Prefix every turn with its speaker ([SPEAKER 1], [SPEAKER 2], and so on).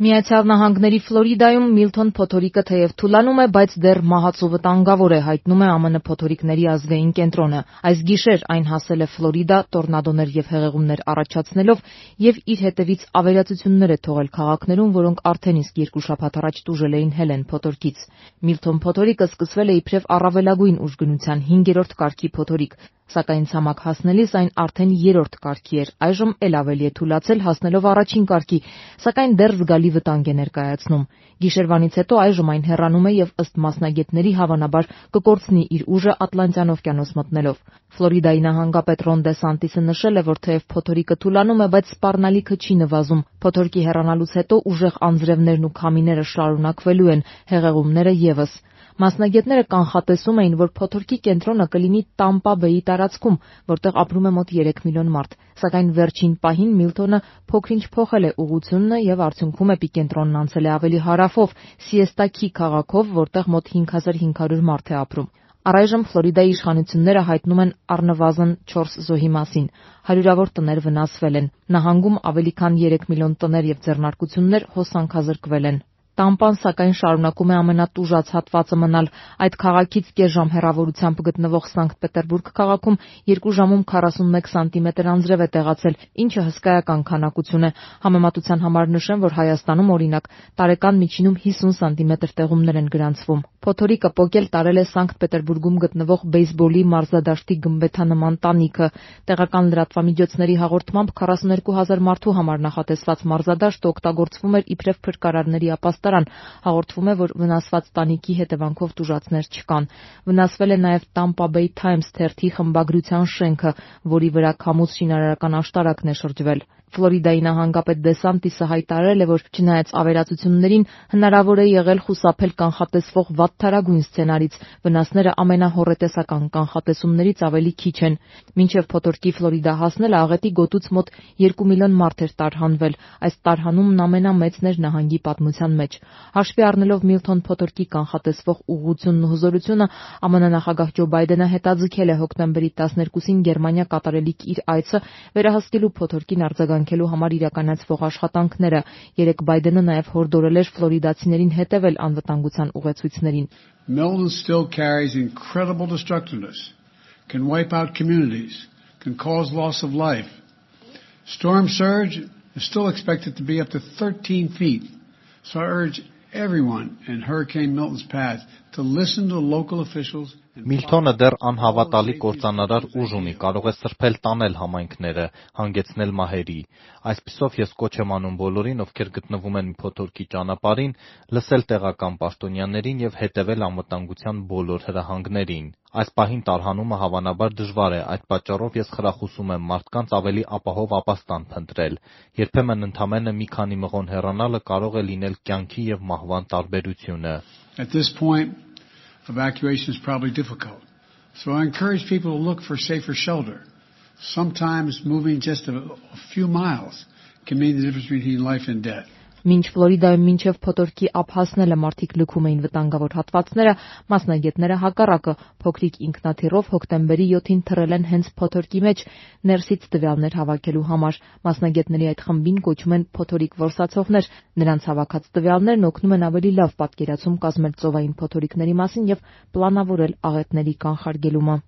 [SPEAKER 1] Միացյալ Նահանգների Ֆլորիդայում Միլթոն փոթորիկը թեև թուլանում է, բայց դեռ մահացու վտանգավոր է, հայտնում է ԱՄՆ փոթորիկների ազգային կենտրոնը։ Այս գիշեր այն հասել է Ֆլորիդա, տորնադոներ եւ հեղեղումներ առաջացնելով եւ իր հետևից ավերածություններ է թողել քաղաքներում, որոնք արդեն իսկ 2 շաբաթ առաջ տուժել էին Հելեն փոթորկից։ Միլթոն փոթորիկը սկսվել է իբրև առավելագույն ուժգնության 5-րդ կարգի փոթորիկ, սակայն ցամաք հասնելիս այն արդեն 3-րդ կարգի էր, այժմ էլ ավելի է թուլացել, հասնելով առաջին կարգի, սակայն դեռ զգալի վտանգ է ներկայացնում։ Գիշերվանից հետո այժմ այն հեռանում է եւ ըստ մասնագետների հավանաբար կկորցնի իր ուժը Ատլանտյան օվկիանոս մտնելով։ Ֆլորիդայի նահանգապետ Ռոն Դե Սանտիսը նշել է, որ թեև փոթորիկը թուլանում է, բայց սպառնալիքը չի նվազում։ Փոթորկի հեռանալուց հետո ուժեղ անձրևներն ու քամիները շարունակվելու են, հեղեղումները եւս։ Մասնագետները կանխատեսում էին, որ փոթորկի կենտրոնը կլինի Տամպա Բեյի տարածքում, որտեղ ապրում է մոտ 3 միլիոն մարդ, սակայն վերջին պահին Միլթոնը փոքր-ինչ փոխել է ուղղությունն եւ արդյունքում էպիկենտրոնն անցել է ավելի հարավով, Սիեստա Քի քաղաքով, որտեղ մոտ 5500 մարդ է ապրում։ Առայժմ Ֆլորիդայի իշխանությունները հայտնում են առնվազն 4 զոհի մասին։ Հարյուրավոր տներ վնասվել են։ Նահանգում ավելի քան 3 միլիոն տներ եւ ձեռնարկություններ հոսանքազրկվել են։ Տամպան սակայն շարունակում է ամենատուժած հատվածը մնալ։ Այդ քաղաքից կես ժամ հեռավորությամբ գտնվող Սանկտ Պետերբուրգ քաղաքում 2 ժամում 41 սանտիմետր անձրև է տեղացել, ինչը հսկայական քանակություն է։ Համեմատության համար նշեմ, որ Հայաստանում օրինակ տարեկան միջինում 50 սանտիմետր տեղումներ են գրանցվում։ Փոթորիկը պոկել տարել է Սանկտ Պետերբուրգում գտնվող բեյսբոլի մարզադաշտի գմբեթանման տանիքը։ Տեղական լրատվամիջոցների հաղորդմամբ 42,000 մարդու համար նախատեսված մարզադաշտը օգտագործվում էր իբրև փրկարարների ապաստարան։ Հաղորդվում է, որ վնասված տանիքի հետևանքով տուժածներ չկան։ Վնասվել է նաև Tampa Bay Times թերթի խմբագրության շենքը, որի վրա քամուց շինարարական աշտարակն է շրջվել։ Ֆլորիդայի նահանգապետ Դե Սանտիսը հայտարարել է, որ չնայած ավերածություններին հնարավոր է եղել խուսափել կանխատեսվող վատթարագույն սցենարից, վնասները ամենահոռետեսական կանխատեսումներից ավելի քիչ են։ Մինչև փոթորկի Ֆլորիդա հասնելը աղետի գոտուց մոտ 2 միլիոն մարդ էր տարհանվել։ Այս տարհանումն ամենամեծն էր նահանգի պատմության մեջ։ Հաշվի առնելով Միլթոն փոթորկի կանխատեսվող ուղղությունն ու հզորությունը, ԱՄՆ նախագահ Ջո Բայդենը հետաձգել է հոկտեմբերի 12-ին Գերմանիա կատարելիք իր այցը վերահսկելու փոթորկին արձագանքելու համար իրականացվող աշխատանքները։ Երեկ Բայդենը նաև հորդորել էր ֆլորիդացիներին հետևել անվտանգության ուղեցույցներին։
[SPEAKER 2] Milton still carries incredible destructiveness, can wipe out communities, can cause loss of life. Storm surge is still expected to be up to 13 feet. So I urge everyone in Hurricane Milton's path to listen to local officials.
[SPEAKER 3] Միլթոնը դեռ անհավատալի կործանարար ուժ ունի, կարող է սրբել տանել համայնքները, հանգեցնել մահերի։ Այսպիսով ես կոչ եմ անում բոլորին, ովքեր գտնվում են փոթորկի ճանապարհին, լսել տեղական պաշտոնյաներին եւ հետեւել անվտանգության բոլոր հրահանգներին։ Այս պահին տարհանումը հավանաբար դժվար է, այդ պատճառով ես խրախուսում եմ մարդկանց ավելի ապահով ապաստան փնտրել։ Երբեմն ընդամենը մի քանի մղոն հեռանալը կարող է լինել կյանքի եւ մահվան տարբերությունը։
[SPEAKER 2] At this point, evacuation is probably difficult. So I encourage people to look for safer shelter. Sometimes moving just a few miles can mean the difference between life and death.
[SPEAKER 1] Մինչ Ֆլորիդայում մինչև փոթորկի ափ հասնելը մարդիկ լքում էին վտանգավոր հատվածները, մասնագետները հակառակը փոքրիկ ինքնաթիռով հոկտեմբերի 7-ին թռել են հենց փոթորկի մեջ ներսից տվյալներ հավաքելու համար։ Մասնագետների այդ խմբին կոչում են փոթորիկ որսացողներ։ Նրանց հավաքած տվյալներն օգնում են ավելի լավ պատկերացում կազմել ծովային փոթորիկների մասին եւ պլանավորել աղետների կանխարգելումը։